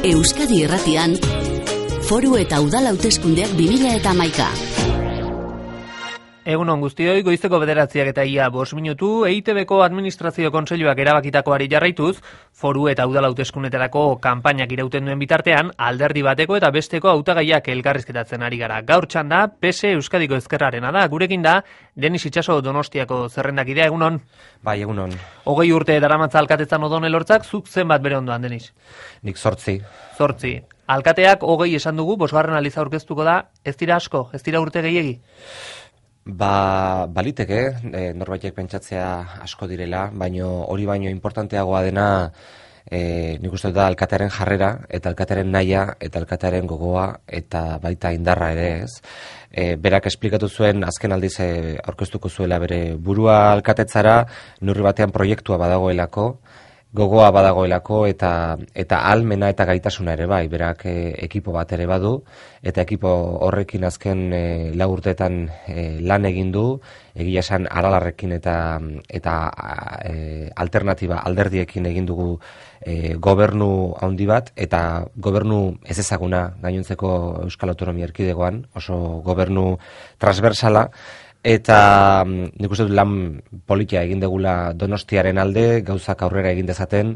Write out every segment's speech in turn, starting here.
Euskadi Irratian, Foru eta Udal Hauteskundeak 2011. Egunon guztioi, goizeko 9:05 minutu, EITBko Administrazio Kontseiluak erabakitakoari jarraituz, Foru eta Udal Hauteskundeetarako kanpainak irauten duen bitartean, alderdi bateko eta besteko hautagaiak elkarrizketatzen ari gara. Gaur txanda, PSE Euskadiko Ezkerrarena da, gurekin da, Denis Itxaso Donostiako zerrendakidea, egunon? Bai, egunon. 20 urte daramatza alkatetzan Odon Elortzak, zuk zenbat bere ondoan, Denis? Nik 8. 8. Alkateak 20 esan dugu, 5. aldiz aurkeztuko da, ez dira asko, ez dira urte gehiegi? Baliteke, norbaitek pentsatzea asko direla, hori baino importanteagoa dena nik uste da alkatearen jarrera, eta alkatearen nahia, eta alkatearen gogoa, eta baita indarra ere ez. Berak esplikatu zuen, azken aldiz aurkeztuko zuela bere burua alkatetzara, neurri batean proiektua badagoelako, gogoa badagoelako eta almena eta gaitasuna ere bai, berak ekipo bat ere badu, eta ekipo horrekin azken 4 urteetan lan egin du, egia esan Aralarrekin eta alternatiba alderdiekin egin dugu gobernu handi bat, eta gobernu ez ezaguna gainontzeko Euskal Autonomia Erkidegoan, oso gobernu transversala, eta nik uste dut lan politia egin degula Donostiaren alde, gauzak aurrera egin dezaten,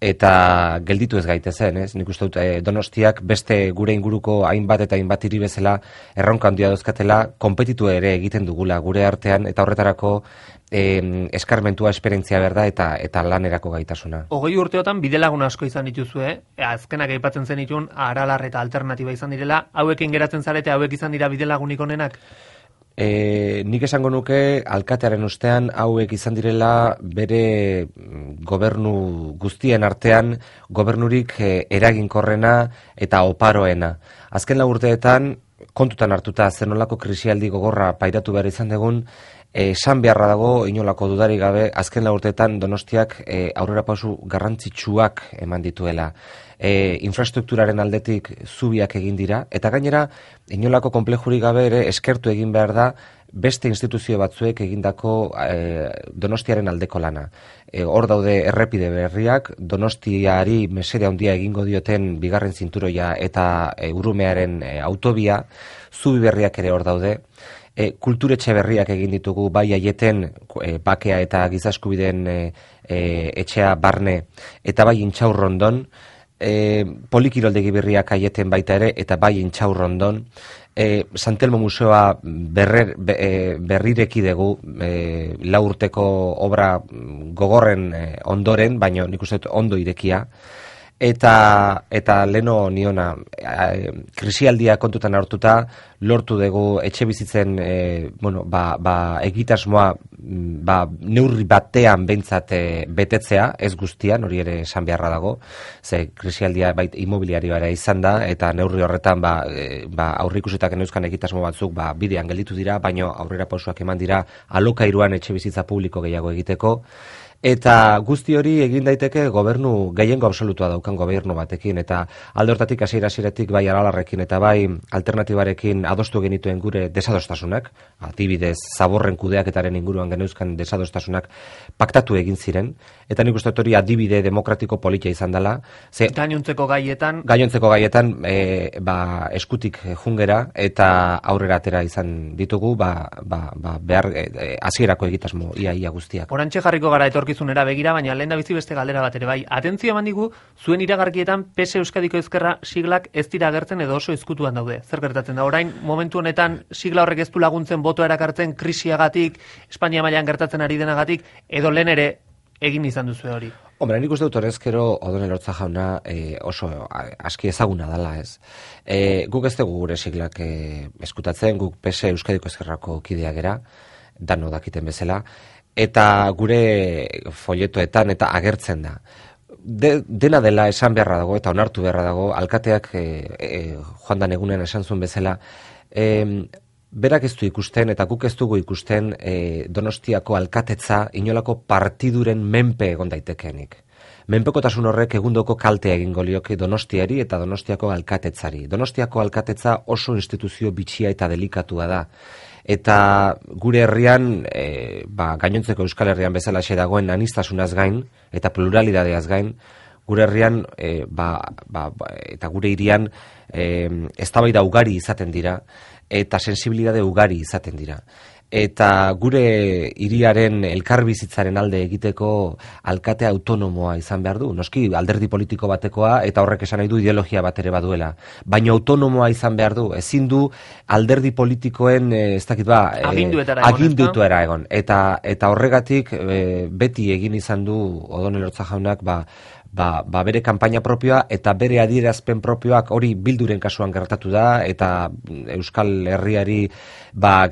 eta gelditu ez gaitezen, ez? Nik uste dut Donostiak beste gure inguruko hainbat eta hainbat hiri bezala erronka handia dauzkatela, konpetitu ere egiten dugula gure artean, eta horretarako eskarmentua, esperientzia berda eta lanerako gaitasuna. 20 urteotan bidelagun asko izan dituzue, azkenak aipatzen zenitun Aralar eta alternatiba izan direla, hauekin geratzen zarete, hauek izan dira bidelagunik onenak? Nik esango nuke alkatearen ustean hauek izan direla bere gobernu guztien artean gobernurik eraginkorrena eta oparoena. Azken 4 urteetan kontutan hartuta zenolako krisialdi gogorra pairatu behar izan dugun, esan beharra dago inolako dudarik gabe azken 4 urteetan Donostiak aurrerapauso garrantzitsuak eman dituela. Infrastrukturaren aldetik zubiak egin dira, eta gainera inolako konplejurik gabe ere eskertu egin behar da beste instituzio batzuek egindako Donostiaren aldeko lana. Hor daude errepide berriak, Donostiari mesede handia egingo dioten bigarren zinturoia eta Urumearen autobia, zubi berriak ere hor daude. Kulturetxe berriak egin ditugu bai aieten bakea eta giza eskubideen etxea barne, eta bai Intxaurrondon, polikiroldegi berriak aieten baita ere, eta bai Intxaurrondon, Santelmo Museoa berrireki dugu 4 urteko obra gogorren ondoren, baina nik uste dut ondo irekia, eta leno niona krisialdia kontutan hartuta lortu dugu etxe bizitzen egitasmoa neurri batean behintzat betetzea, ez guztian, hori ere esan beharra dago, ze krisialdia bait immobiliarioa izan da, eta neurri horretan aurreikusitako neuzkan egitasmo batzuk bidean gelditu dira, baina aurrera pausoak eman dira alokairuan etxe bizitza publiko gehiago egiteko. Eta guzti hori egin daiteke gobernu gehiengo absolutua daukan gobernu batekin, eta alde hortatik hasieratik bai Aralarrekin eta bai alternatibarekin adostu genituen gure desadostasunak, adibidez Zaborren kudeaketaren inguruan geneuzkan desadostasunak paktatu egin ziren, eta nik uste hori adibide demokratiko politia izan dela. Gainontzeko gaietan eskutik jungera eta aurrera atera izan ditugu behar hasierako egitasmo ia guztiak. Orantxe jarriko gara etorkizunera begira, baina lehen da bizi beste galdera bat ere bai. Atentzio eman digu, zuen iragarkietan PSE Euskadiko Ezkerra siglak ez dira agertzen edo oso ezkutuan daude. Zer gertatzen da? Orain, momentu honetan sigla horrek ez du laguntzen botoa erakartzen krisiagatik, Espainia mailan gertatzen ari denagatik, edo lehen ere egin izan duzu hori? Hombre, nik uste dut honezkero Odon Elortza jauna oso aski ezaguna dela, ez. Guk ez dugu gure siglak eskutatzen, guk PSE Euskadiko Ezkerrako kidea gera, dano dakiten bezala, eta gure folletoetan eta agertzen da. Dena dela esan beharra dago eta onartu beharra dago, alkateak joan dan egunean esan zuen bezala, berak ez du ikusten eta guk ez dugu ikusten Donostiako alkatetza inolako partiduren menpe egon daitekenik. Menpekotasun horrek egundoko kaltea egingo lioke Donostiari eta Donostiako alkatetzari. Donostiako alkatetza oso instituzio bitxia eta delikatua da. Eta gure herrian, gainontzeko Euskal Herrian bezalaxe dagoen anistasunaz gain eta pluralidadeaz gain, gure herrian eta gure hirian eztabaida ugari izaten dira eta sensibilitate ugari izaten dira. Eta gure hiriaren elkarbizitzaren alde egiteko alkate autonomoa izan behar du. Noski alderdi politiko batekoa eta horrek esan nahi du ideologia bat ere baduela. Baina autonomoa izan behar du. Ezin du alderdi politikoen aginduetara egon. Eta horregatik beti egin izan du Odon Elorza jaunak bere kanpaina propioa eta bere adierazpen propioak hori Bilduren kasuan gertatu da eta Euskal Herriari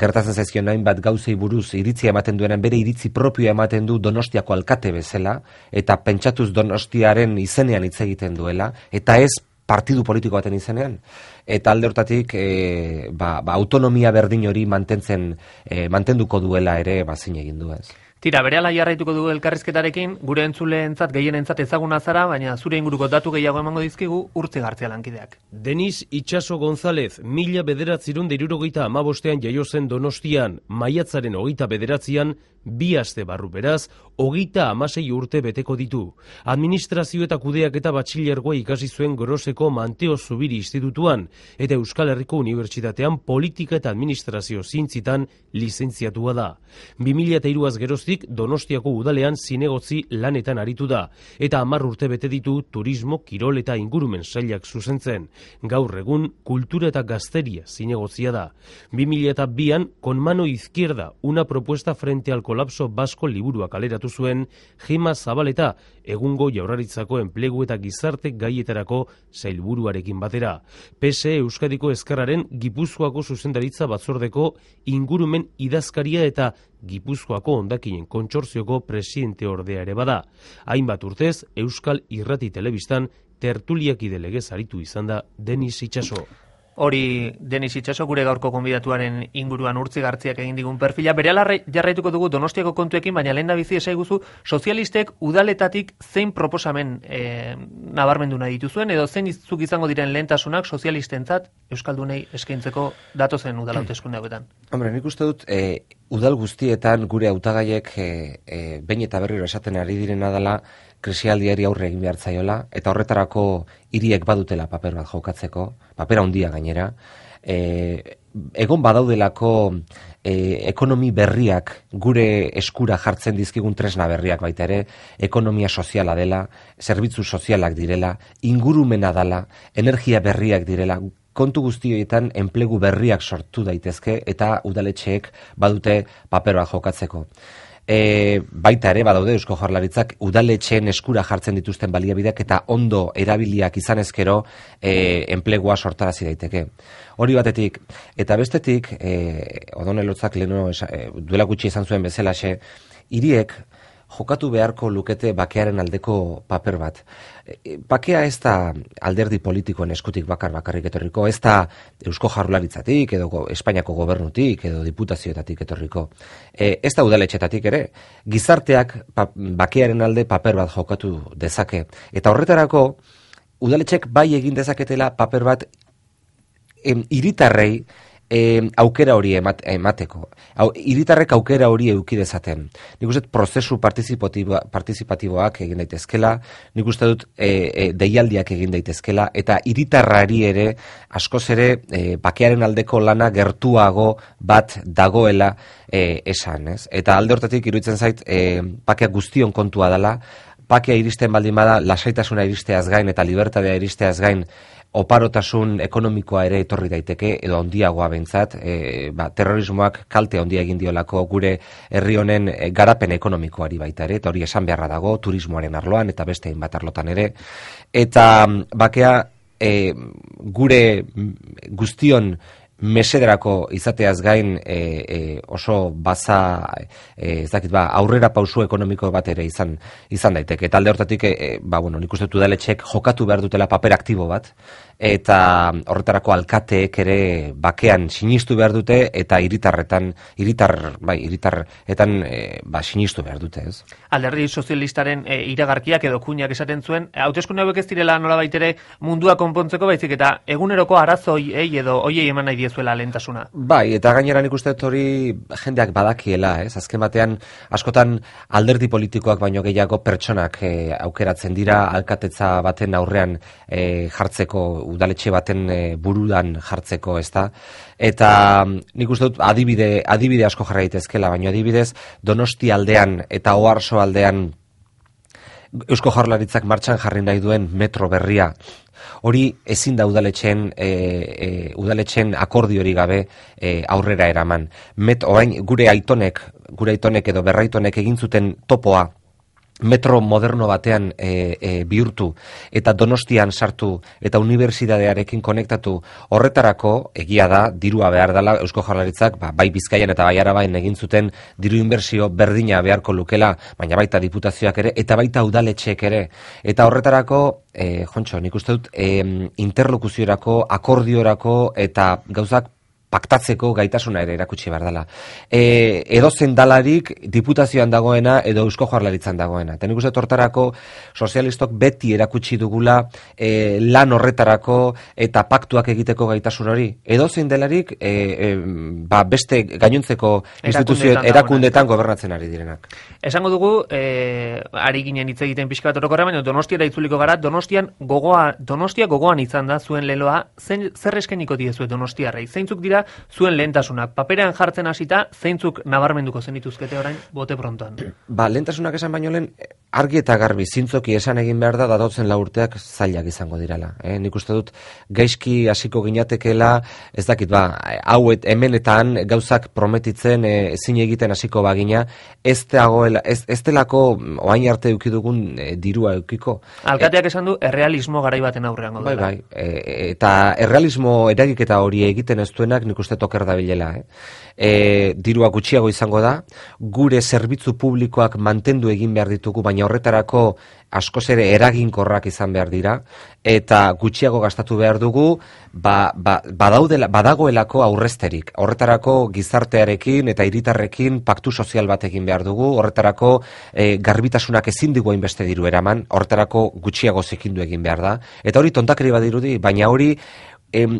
gertatzen zaizkion hainbat gauzei buruz iritzia ematen duenan bere iritzi propioa ematen du Donostiako alkate bezala eta pentsatuz Donostiaren izenean hitz egiten duela eta ez partidu politiko baten izenean. Eta alde hortatik autonomia berdin hori mantenduko duela ere zin egin du ez. Tira, berehala jarraituko dugu elkarrizketarekin, gure entzuleentzat gehienentzat ezaguna zara, baina zure inguruko datu gehiago emango dizkigu Urtzi Gartzia lankideak. Denis Itxaso González, 1995 jaio zen Donostian, maiatzaren 29an, 2 aste barru beraz, 36 urte beteko ditu. Administrazio eta kudeaketa batxilergoa ikasi zuen Groseko Manteo Zubiri Institutuan, eta Euskal Herriko Unibertsitatean politika eta administrazio zientzitan lizentziatua da. 2003az geroztik Donostiako udalean zinegotzi lanetan aritu da, eta 10 urte bete ditu turismo, kirol eta ingurumen sailak zuzentzen. Gaur egun, kultura eta gazteria zinegotzia da. 2002an, Con mano izquierda, una propuesta frente al kolapso basko liburua kaleratu zuen Gema Zabaleta, egungo Jaurlaritzako enplegu eta gizarte gaietarako sailburuarekin batera. PSE Euskadiko Ezkerraren Gipuzkoako zuzendaritza batzordeko ingurumen idazkaria eta Gipuzkoako hondakinen kontsortzioko presidente ordea ere bada. Hainbat urtez, Euskal Irrati Telebistan tertuliakide legez aritu izan da Denis Itxaso. Hori Denis Itxaso gure gaurko gonbidatuaren inguruan Urtzi Gartziak egin digun perfila. Berehala jarraituko dugu Donostiako kontuekin, baina lehen da bizi esaiguzu sozialistek udaletatik zein proposamen nabarmendu nahi dituzuen, edo zein zuk izango diren lehentasunak sozialistentzat Euskaldunei eskaintzeko datozen udal hauteskunde hauetan. Hombre, nik uste dut udal guztietan gure hautagaiek behin eta berriro esaten ari direna dela krisialdiari aurre egin behar zaiola, eta horretarako hiriek badutela paper bat jokatzeko, papera handia gainera, egon badaudelako ekonomi berriak gure eskura jartzen dizkigun tresna berriak baita ere, ekonomia soziala dela, zerbitzu sozialak direla, ingurumena dela, energia berriak direla, kontu guztioetan enplegu berriak sortu daitezke eta udaletxeek badute paper bat jokatzeko. Baita ere badaude Eusko Jaurlaritzak udaletxeen eskura jartzen dituzten baliabideak eta ondo erabiliak izan ezkero enplegua sortarazi daiteke. Hori batetik, eta bestetik, Odon Elotzak duela gutxi izan zuen bezalaxe, hiriek jokatu beharko lukete bakearen aldeko paper bat. Bakea ez da alderdi politikoen eskutik bakarrik etorriko, ez da Eusko Jaurlaritzatik, edo Espainiako gobernutik, edo diputazioetatik etorriko. Ez da udaletxetatik ere, gizarteak bakearen alde paper bat jokatu dezake. Eta horretarako, udaletxek bai egin dezaketela paper bat hiritarrei aukera hori emateko. Hiritarrek aukera hori eduki dezaten. Nik uste dut prozesu partizipatiboak egin daitezkela, nik uste dut deialdiak egin daitezkela, eta hiritarrari ere askoz ere bakearen aldeko lana gertuago bat dagoela esan. Ez? Eta alde hortatik iruditzen zait bakea guztion kontua dela, bakea iristen baldin bada lasaitasuna iristeaz gain eta libertadea iristeaz gain oparotasun ekonomikoa ere etorri daiteke, edo handiagoa behintzat, terrorismoak kalte handia egin diolako gure herri honen garapen ekonomikoari baita ere, eta hori esan beharra dago, turismoaren arloan eta beste hainbat arlotan ere. Eta bakea gure guztion mesederako izateaz gain oso baza aurrera pausu ekonomiko bat ere izan daiteke. Eta alde hortatik, nik uste dut udaletxek jokatu behar dutela paper aktibo bat, eta horretarako alkateek ere bakean sinistu behar dute, eta hiritarretan sinistu behar dute, ez? Alderdi sozialistaren iragarkiak edo kuinak esaten zuen, hauteskunde hauek ez direla nolabait ere mundua konpontzeko, baizik eta eguneroko arazoiei edo hoiei eman nahi diezuela lehentasuna. Bai, eta gainera nik uste dut hori jendeak badakiela, ez? Azken batean, askotan alderdi politikoak baino gehiago pertsonak aukeratzen dira alkatetza baten aurrean jartzeko, udaletxe baten burudan jartzeko, ezta? Eta nik uste dut adibide asko jarra daitezkeela, baina adibidez Donosti aldean eta Oarso aldean Eusko Jaurlaritzak martxan jarri nahi duen metro berria, hori ezin da udaletxen akordiori gabe aurrera eraman. Orain gure aitonek edo berraitonek egin zuten topoa metro moderno batean bihurtu eta Donostian sartu eta unibertsitatearekin konektatu, horretarako egia da dirua behar dela Eusko Jaurlaritzak, bai Bizkaian eta bai Araban egin zuten diru inbertsio berdina beharko lukela, baina baita diputazioak ere eta baita udaletxeek ere. Eta horretarako Jontxo, nik uste dut interlokuziorako, akordiorako eta gauzak paktatzeko gaitasuna ere erakutsi behar dela. Edo zendalarik diputazioan dagoena edo Eusko Jaurlaritzan dagoena. Eta nik uste hortarako sozialistok beti erakutsi dugula lan horretarako eta paktuak egiteko gaitasun hori. Edo zendalarik beste gainontzeko instituzio erakundetan gobernatzen ari direnak. Esango dugu, ari ginen hitz egiten pixka bat orokorra, baina Donostiara itzuliko gara, Donostia gogoan izan da zuen leloa, zer eskainiko diezuet Donostiarrei? Zeintzuk dira zuen lehentasunak? Paperean jartzen hasita, zeintzuk nabarmenduko zenituzkete orain bote prontoan? Lehentasunak esan baino lehen, argi eta garbi zintzoki esan egin behar da datotzen 4 urteak zailak izango direla. Nik uste dut gaizki hasiko ginatekeela, ez dakit hemen eta han gauzak prometitzen ezin egiten hasiko bagina, ez delako oain arte eukidugun dirua eukiko. Alkateak esan du errealismo garai baten aurrean gaudela. Bai, eta errealismo eragiketa hori egiten ez duenak nik uste toker dabilela. Dirua gutxiago izango da, gure zerbitzu publikoak mantendu egin behar ditugu, baina horretarako askoz ere eraginkorrak izan behar dira, eta gutxiago gastatu behar dugu, badagoelako aurrezterik. Horretarako gizartearekin eta hiritarrekin paktu sozial bat egin behar dugu, horretarako garbitasunak ezin digu hainbeste diru eraman, horretarako gutxiago zikindu egin behar da. Eta hori tontakeri badirudi, baina hori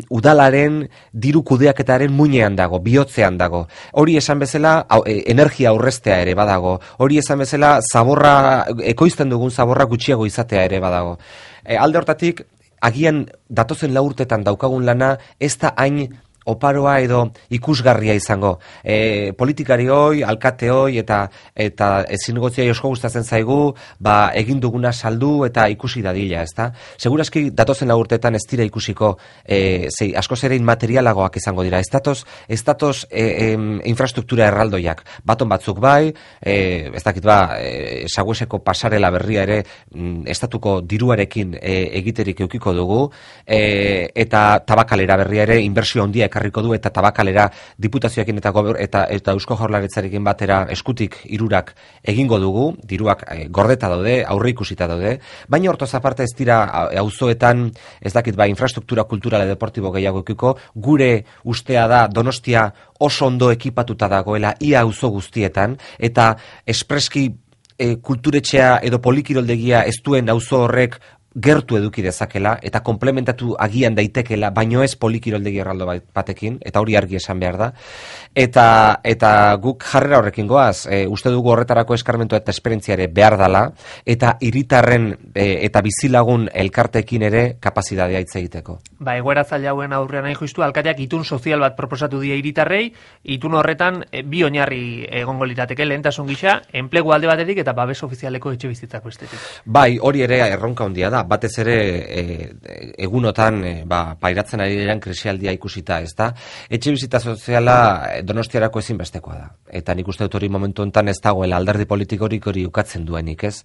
udalaren diru kudeaketaren muinean dago, bihotzean dago. Hori esan bezala energia aurreztea ere badago. Hori esan bezala ekoizten dugun zaborra gutxiago izatea ere badago. Alde hortatik, agian datozen 4 urtetan daukagun lana ez da hain oparoa edo ikusgarria izango. Politikari hoi, alkate hoi eta zinegotzia asko gustatzen zaigu, egin duguna saldu eta ikusi dadila, ezta? Segurazki datozen 4 urtetan ez dira ikusiko, askoz ere inmaterialagoak izango dira. Ez datoz infrastruktura erraldoiak. Baton batzuk bai, ez dakit Sagueseko pasarela berria ere estatuko diruarekin egiterik eukiko dugu, eta tabakalera berria ere inbertsio handia ekarriko du, eta tabakalera diputazioekin eta Eusko Jaurlaritzarekin batera eskutik 3 egingo dugu, diruak gordeta daude, aurre ikusita daude, baina hortoz aparte ez dira auzoetan, ez dakit infrastruktura kulturala deportibo gehiago eukiko, gure ustea da Donostia oso ondo ekipatuta dagoela ia auzo guztietan, eta espreski kulturetxea edo polikiroldegia ez duen auzo horrek gertu eduki dezakela eta komplementatu agian daitekela, baino ez polikiroldegi erraldo batekin, eta hori argi esan behar da. Eta guk jarrera horrekin goaz, uste dugu horretarako eskarmentu eta esperientziare behar dala, eta hiritarren eta bizilagun elkartekin ere kapazitatea hitz egiteko. Egoera zaila hauen aurrean nahi justu, alkateak itun sozial bat proposatu die hiritarrei, itun horretan bi oinarri egongo lirateke, lehentasun gisa, enplegu alde batetik eta babes ofizialeko etxe bizitzak bestetik. Hori ere erronka handia da, batez ere egunotan pairatzen ari diren krisialdia ikusita, ez da? Etxe bizitza soziala Donostiarako ezinbestekoa da. Eta nik uste dut hori momentu honetan ez dagoela alderdi politikorik hori ukatzen duenik, ez?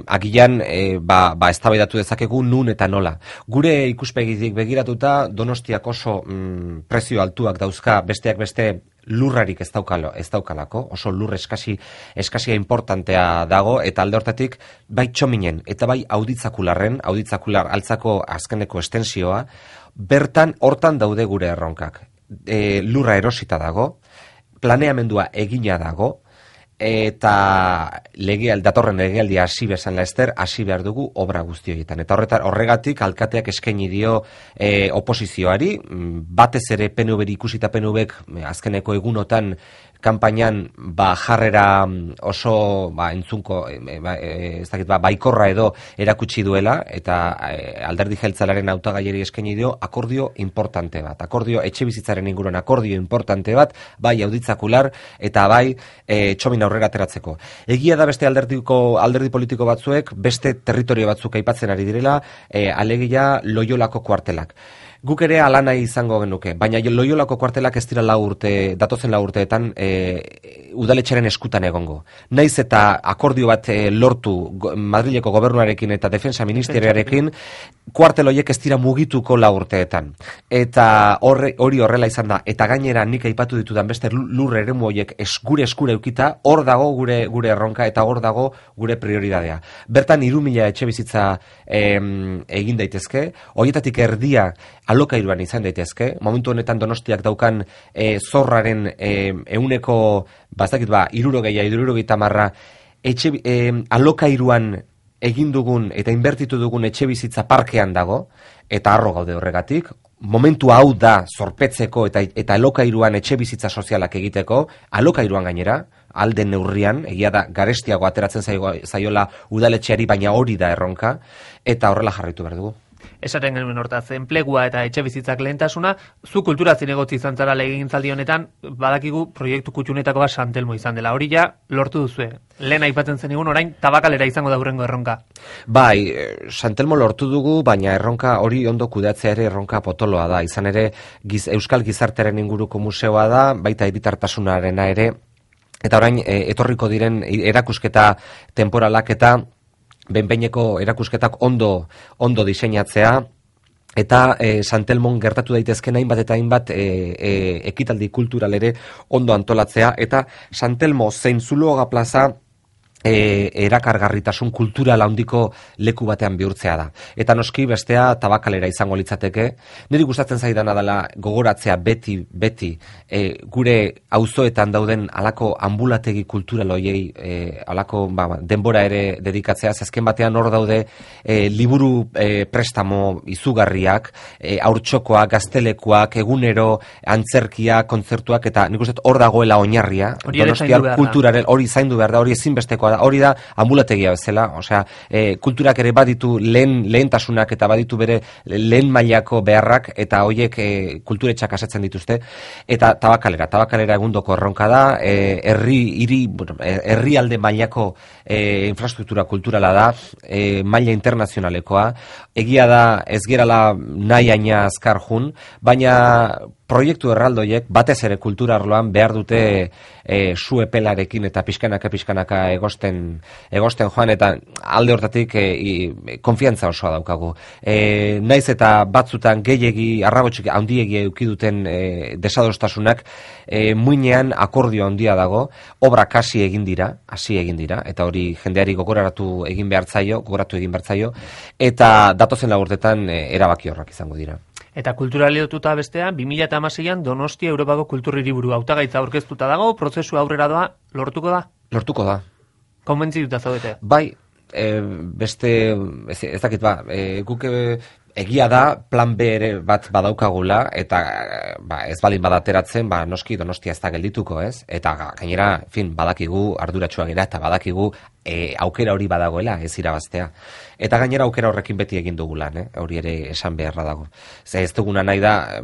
Agian, eztabaidatu dezakegu nun eta nola. Gure ikuspegitik begiratuta Donostiak oso prezio altuak dauzka, besteak beste lurrarik ez daukalako, oso lur eskasia importantea dago, eta alde hortatik bai Txominen eta bai auditzakular altzako azkeneko estensioa, hortan daude gure erronkak. Lurra erosita dago, planeamendua egina dago, eta datorren legealdia hasi bezan laester, hasi behar dugu obra guzti horietan. Eta horregatik alkateak eskaini dio oposizioari, batez ere PNV-ri ikusita PNV-ek azkeneko egunotan kanpainan jarrera oso entzunko baikorra edo erakutsi duela, eta alderdi jeltzalaren hautagaiari eskaini dio akordio importante bat, etxebizitzaren inguruan akordio importante bat, bai auditzakular eta bai txomin aurrera ateratzeko. Egia da beste alderdi politiko batzuek beste territorio batzuk aipatzen ari direla, alegia Loiolako kuartelak. Guk ere ala nahi izango genuke, baina Loiolako kuartelak ez dira datozen 4 urteetan udaletxearen eskutan egongo. Naiz eta akordio bat lortu Madrileko gobernuarekin eta defensa ministeriarekin, kuartel horiek ez dira mugituko 4 urteetan. Eta hori horrela izan da, eta gainera nik aipatu ditudan beste lur eremu horiek gure eskura eukita, hor dago gure erronka eta hor dago gure prioridadea. Bertan 3.000 etxe bizitza egin daitezke, horietatik erdia alokairuan izan daitezke, momentu honetan Donostiak daukan zorraren euneko, 60-70 alokairuan egin dugun eta inbertitu dugun etxe bizitza parkean dago, eta harro gaude horregatik. Momentu hau da zorpetzeko eta alokairuan etxe bizitza sozialak egiteko, alokairuan gainera, alden neurrian, egia da garestiago ateratzen zaiola udaletxeari, baina hori da erronka, eta horrela jarraitu behar dugu. Esaten genuen hortaz, enplegua eta etxe bizitzak lehentasuna, zu kultura zinegotzi izan zara legegintzaldi honetan, badakigu proiektu kutxunetako bat Santelmo izan dela. Hori ja lortu duzue. Lehen aipatzen zenigun orain tabakalera izango da hurrengo erronka. Bai, Santelmo lortu dugu, baina erronka hori ondo kudeatzea ere erronka potoloa da. Izan ere, Euskal Gizartearen inguruko museoa da, baita hiritartasunarena ere, eta orain etorriko diren erakusketa temporalak eta behin-behineko erakusketak ondo diseinatzea, eta Santelmon gertatu daitezken hainbat eta hainbat ekitaldi kultural ere ondo antolatzea, eta Santelmo zein Zuloaga plaza erakargarritasun kultural handiko leku batean bihurtzea da. Eta noski bestea tabakalera izango litzateke. Niri gustatzen zaidana dela gogoratzea beti gure auzoetan dauden alako ambulategi kultural hoiei alako denbora ere dedikatzea. Azken batean hor daude liburu prestamo izugarriak, haurtxokoak, gaztelekuak, egunero antzerkia, kontzertuak, eta nik uste hor dagoela oinarria. Donostiar kulturaren hori zaindu behar da, hori ezinbestekoa da, hori da ambulategia bezala, osea, kulturak ere baditu lehentasunak eta baditu bere lehen mailako beharrak, eta horiek kulturetxak asetzen dituzte, eta tabakalera egundoko erronka da, herrialde mailako infrastruktura kulturala da, maila internazionalekoa, egia da ez gerala nahi aina azkar jun, baina proiektu erraldoiek batez ere kultura arloan behar dute su epelarekin eta pixkanaka egosten joan, eta alde hortatik konfiantza osoa daukagu. Naiz eta batzutan gehiegi, arrabotxik handiegi eukiduten desadostasunak, muinean akordio handia dago, obrak hasi egin dira, eta hori jendeari gogoratu egin behar zaio, eta datozen lagurtetan erabaki horrak izango dira. Eta kulturali lotuta bestean, 2016an Donostia Europako Kultur Hiriburu hautagaitza aurkeztuta dago, prozesu aurrera doa, lortuko da? Lortuko da. Konbentzituta zaudete? Bai, beste, ez dakit guk egia da plan B ere bat badaukagula, eta ez balin badateratzen, noski Donostia ez da geldituko, ez? Eta gainera, badakigu arduratsuak gara, eta badakigu aukera hori badagoela, ez irabaztea. Eta gainera aukera horrekin beti egin dugu lan, hori ere esan beharra dago. Ez duguna nahi da,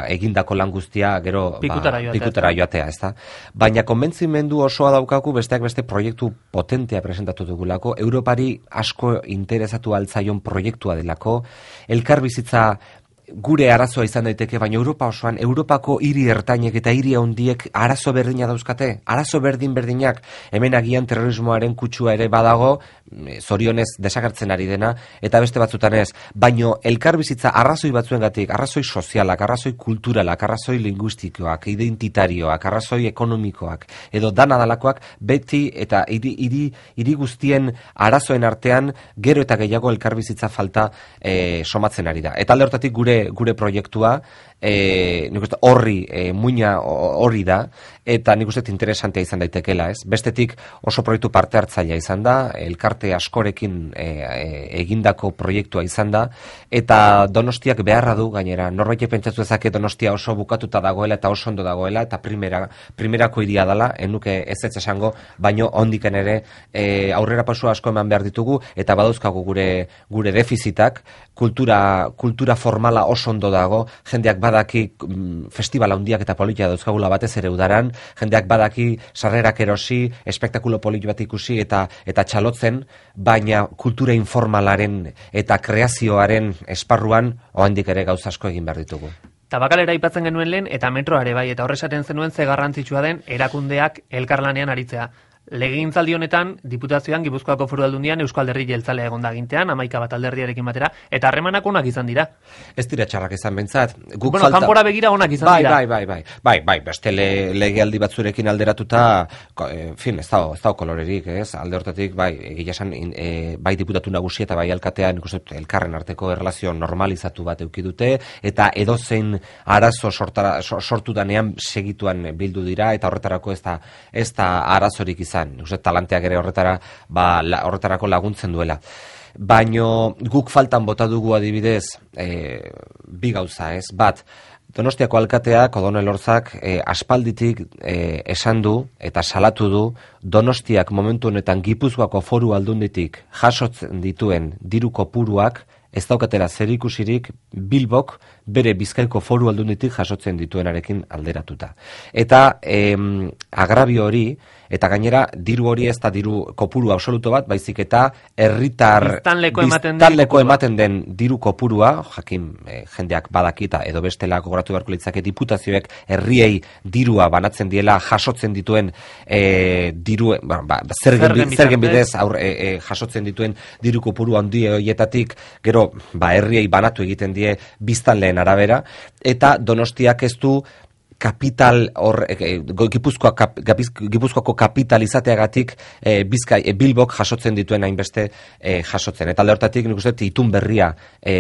egindako lan guztia gero pikutara joatea, ez da? Baina konbentzimendu osoa daukagu besteak beste proiektu potentea presentatu dugulako, Europari asko interesatu altzaion proiektua delako, elkarbizitza gure arazoa izan daiteke, baina Europa osoan, Europako hiri ertainek eta hiri handiek arazo berdina dauzkate, arazo berdinak, hemen agian terrorismoaren kutsua ere badago, zorionez desagertzen ari dena, eta beste batzutan ez, baino elkarbizitza arrazoi batzuengatik, arrazoi sozialak, arrazoi kulturalak, arrazoi linguistikoak, identitarioak, arrazoi ekonomikoak, edo dana dalakoak, beti eta hiri guztien arazoen artean, gero eta gehiago elkarbizitza falta somatzen ari da. Eta alde hortatik gure gure proiektua, nik uste horri muina hori da, eta nik uste interesantea izan daitekela, ez? Bestetik oso proiektu parte hartzailea izan da, elkarte askorekin egindako proiektua izan da, eta Donostiak beharra du gainera, norbaitek pentsatu dezake Donostia oso bukatuta dagoela eta oso ondo dagoela, eta primerako hiria dela, enuke ez esango, baino ondiken ere aurrera pasu asko eman behar ditugu, eta badauzkagu gure defizitak, kultura formala oso ondo dago, jendeak badaki festival handiak eta politia dauzkagula batez ere udaran, jendeak badaki sarrerak erosi, espektakulo polit bat ikusi eta txalotzen, baina kultura informalaren eta kreazioaren esparruan oraindik ere gauza asko egin behar ditugu. Tabakalera aipatzen genuen lehen eta metroare bai, eta horresaten zenuen ze garrantzitsua den erakundeak elkarlanean aritzea. Legegintzaldi honetan, Diputazioan Gipuzkoako Foru Aldundian Eusko Alderdi Jeltzalea egonda gintean, 11 bat alderdiarekin batera, eta harremanak onak izan dira. Ez dira txarrak izan bentsat. Kanpora begira onak izan dira. Bai, beste legealdi batzurekin alderatuta, ez dago kolorerik, ez? Alde hortatik, bai, egia esan, bai diputatu nagusi eta bai alkatean, elkarren arteko erlazio normalizatu bat eduki dute, eta edozein arazo sortu danean segituan bildu dira, eta horretarako ez da arazorik izan. Talanteak ere horretarako laguntzen duela. Baino guk faltan bota dugu adibidez bi gauza, ez? Bat, Donostiako alkateak, Odon Elorzak, aspalditik esan du eta salatu du Donostiak momentu honetan Gipuzkoako Foru Aldunditik jasotzen dituen diru kopuruak ez daukatera zerikusirik Bilbok bere Bizkaiko Foru Aldunditik jasotzen dituenarekin alderatuta. Eta agrabio hori, eta gainera diru hori ez da diru kopuru absoluto bat, baizik eta herritar biztanleko ematen den diru kopurua, jakin jendeak badakita edo bestela gogoratu beharko litzake diputazioek herriei dirua banatzen diela jasotzen dituen zergen bidez jasotzen dituen diru kopuru handi horietatik gero herriei banatu egiten die biztanleen arabera, eta Donostiak ez du kapital Gipuzkoako kapital izateagatik Bilbok jasotzen dituen hainbeste jasotzen. Eta alde hortatik nik uste itun berria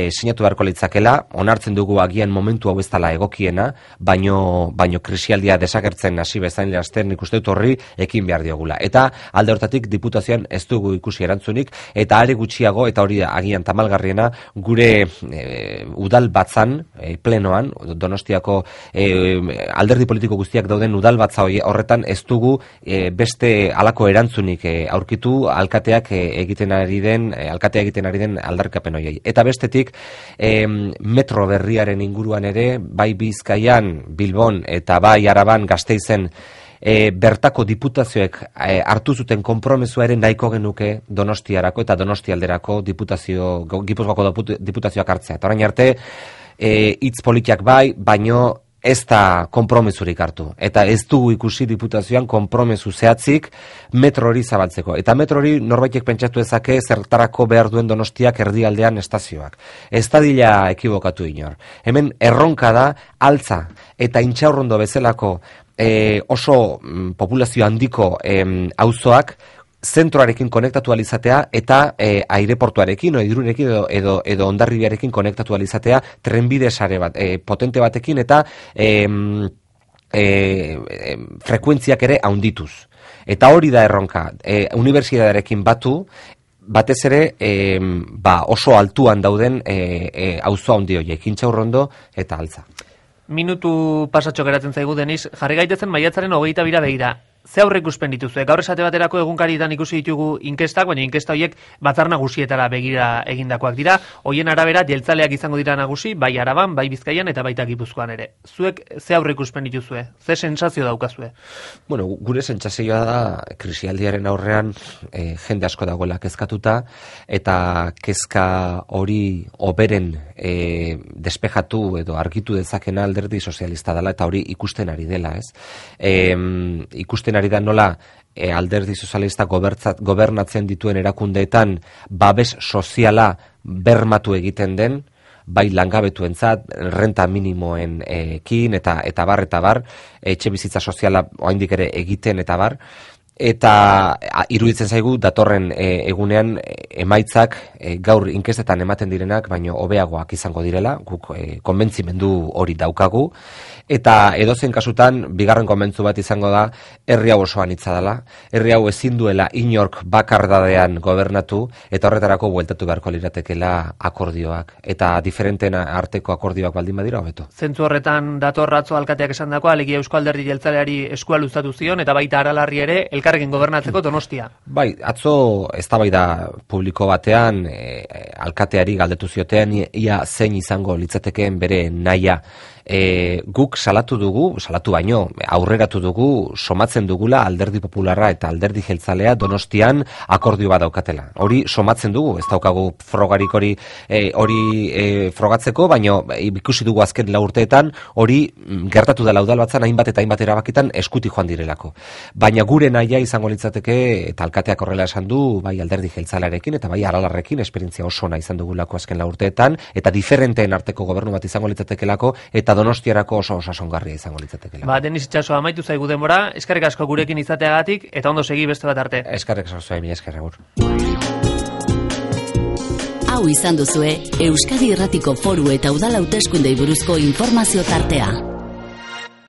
sinatu beharko litzakela, onartzen dugu agian momentu hau ez dela egokiena, baino krisialdia desagertzen hasi bezain laster nik uste horri ekin behar diogula. Eta alde hortatik diputazioan ez dugu ikusi erantzunik, eta are gutxiago, eta hori agian tamalgarriena, gure udal batzan, plenoan, Donostiako alderdi politiko guztiak dauden udalbatza horretan ez dugu beste halako erantzunik aurkitu alkateak egiten ari den aldarrikapen horiei. Eta bestetik metro berriaren inguruan ere, bai Bizkaian, Bilbon eta bai Araban, Gasteizen bertako diputazioek hartu zuten konpromesua ere nahiko genuke Donostiarako eta Donostialderako Gipuzkoako diputazioak hartzea. Eta orain arte hitz politiak bai, baino ez da konpromesurik hartu. Eta ez dugu ikusi diputazioan konpromesu zehatzik metro hori zabaltzeko. Eta metro hori norbaitek pentsatu ezake zertarako behar duen Donostiak erdialdean estazioak. Ez da dila ekibokatu inor. Hemen erronka da altza eta Intxaurrondo bezalako oso populazio handiko auzoak zentroarekin konektatu alizatea eta aireportuarekin o Irunekin edo Hondarribiarekin konektatu alizatea trenbide sare bat potente batekin eta frekuentziak ere handituz. Eta hori da erronka, unibertsitatearekin batez ere oso altuan dauden auzo handi horiek, Intxaurrondo eta Altza. Minutu pasatxo geratzen zaigu, Denis, jarri gaitezen maiatzaren 22 begira. Ze aurreikuspen dituzue? Gaur esate baterako egunkarietan ikusi ditugu inkestak, baina inkesta horiek batzar nagusietara begira egindakoak dira. Hoien arabera jeltzaleak izango dira nagusi, bai Araban, bai Bizkaian eta baita Gipuzkoan ere. Zuek ze aurreikuspen dituzue? Ze sentsazio daukazue? Bueno, gure sentsazioa da krisialdiaren aurrean jende asko dagoela kezkatuta eta kezka hori oberen despejatu edo argitu dezakena Alderdi Sozialista dela eta hori ikusten ari dela, ez? Ikusten ari da nola Alderdi Sozialista gobernatzen dituen erakundeetan babes soziala bermatu egiten den, bai langabetuentzat, renta minimoenekin eta bar, etxe bizitza soziala oraindik ere egiten eta bar, eta iruditzen zaigu datorren egunean emaitzak gaur inkestetan ematen direnak, baino hobeagoak izango direla, guk konbentzimendu hori daukagu, eta edozein kasutan, bigarren konbentzu bat izango da, herri hau osoan hitza dela, herri hau ezin duela inork bakardadean gobernatu, eta horretarako bueltatu beharko liratekela akordioak, eta diferenteen arteko akordioak baldin badira hobeto. Zentzu horretan dator atzo alkateak esandakoa, alegia Eusko Alderdi Jeltzaleari eskua luzatu zion, eta baita Aralarri ere elkarrekin gobernatzeko Donostia. Bai, atzo eztabaida publiko batean alkateari galdetu ziotean ia zein izango litzatekeen bere nahia. Guk salatu baino, aurreratu dugu, somatzen dugula Alderdi Popularra eta Alderdi Jeltzalea Donostian akordio bat daukatela. Hori somatzen dugu, ez daukagu frogarik hori frogatzeko, baino ikusi dugu azken 4 urteetan hori gertatu dela udalbatzan hainbat eta hainbat erabakitan eskutik joan direlako. Baina gure nahia izango litzateke, eta alkateak horrela esan du, bai Alderdi Jeltzalearekin eta bai Aralarrekin esperientzia oso ona izan dugulako azken 4 urteetan, eta diferenteen arteko gobernu bat izango litzatekelako, eta Donostiarako oso osasongarria izango litzatekeela. Denis Itxaso, amaitu zaigu denbora, eskerrik asko gurekin izateagatik, eta ondo segi beste bat arte. Eskerrik asko zuen, eskerrik agur. Hau izan duzue, Euskadi Irratiko Foru eta Udal Hauteskundei buruzko informazio tartea.